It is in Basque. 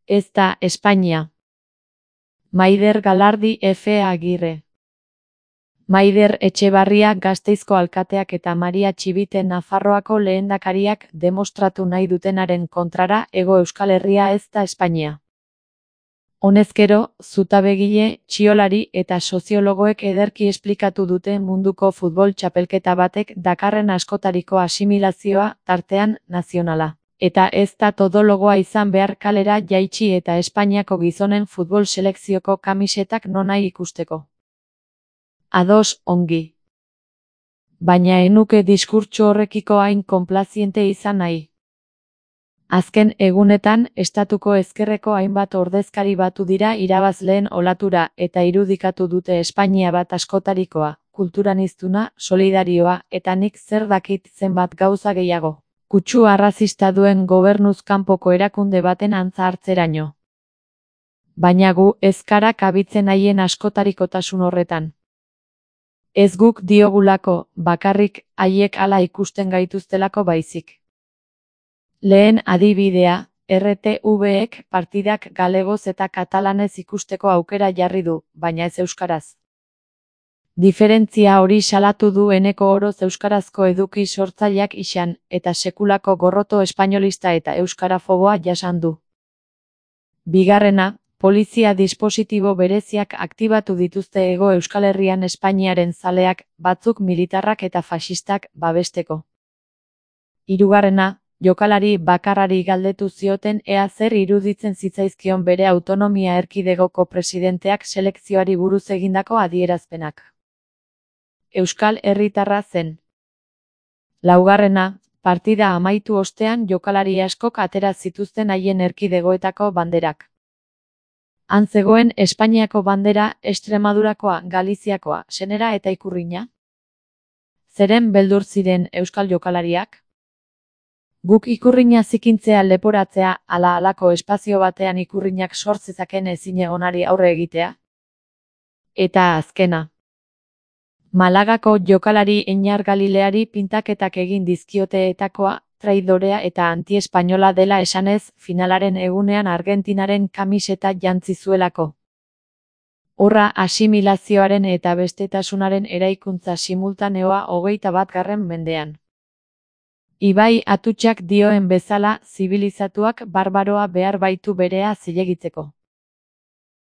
Ez da Espainia. Maider Galardi F. Agirre. Maider Etxebarria Gasteizko alkateak eta Maria Txibite Nafarroako lehendakariak demostratu nahi dutenaren kontrara Hego Euskal Herria ez da Espainia. Honezkero, zutabegile, txiolari eta soziologoek ederki esplikatu dute munduko futbol txapelketa batek dakarren askotariko asimilazioa, tartean, nazionala. Eta ez da todologoa izan behar kalera jaitsi eta Espainiako gizonen futbol selekzioko kamisetak nonahi ikusteko. Ados, ongi. Baina enuke diskurtso horrekiko hain konplaziente izan nahi. Azken egunetan, estatuko ezkerreko hainbat ordezkari batu dira irabazleen olatura eta irudikatu dute Espainia bat askotarikoa, kulturaniztuna, solidarioa eta nik zer dakit zenbat gauza gehiago. Kutsu arrazista duen gobernuz kanpoko erakunde baten antza hartzeraino. Baina gu ez gara kabitzen haien askotarikotasun horretan. Ez guk diogulako, bakarrik, haiek hala ikusten gaituztelako baizik. Lehen adibidea, RTV-ek partidak galegoz eta katalanez ikusteko aukera jarri du, baina ez euskaraz. Diferentzia hori salatu du eneko oroz euskarazko eduki sortzaileak izan, eta sekulako gorroto espainolista eta euskarafoboa jasan du. Bigarrena, polizia dispositibo bereziak aktibatu dituzte Hego Euskal Herrian Espainiaren zaleak, batzuk militarrak eta faxistak, babesteko. Hirugarrena, jokalari bakarrari galdetu zioten ea zer iruditzen zitzaizkion bere autonomia erkidegoko presidenteak selekzioari buruz egindako adierazpenak. Euskal herritarra zen. Laugarrena, partida amaitu ostean jokalari askok atera zituzten haien erkidegoetako banderak. Han zegoen Espainiako bandera, Extremadurakoa, Galiziakoa, Senera eta Ikurrina? Zeren beldur ziren euskal jokalariak? Guk Ikurrina zikintzea leporatzea, ala halako espazio batean Ikurrinak sor zezaken ezinegonari aurre egitea? Eta azkena. Malagako jokalari Eñar Galileari pintaketak egin dizkioteetakoa, traidorea eta anti-espainola dela esanez, finalaren egunean Argentinaren kamiseta jantzi zuelako. Horra asimilazioaren eta bestetasunaren eraikuntza simultaneoa 21. mendean. Ibai Atutxak dioen bezala, zibilizatuak barbaroa behar baitu berea zilegitzeko.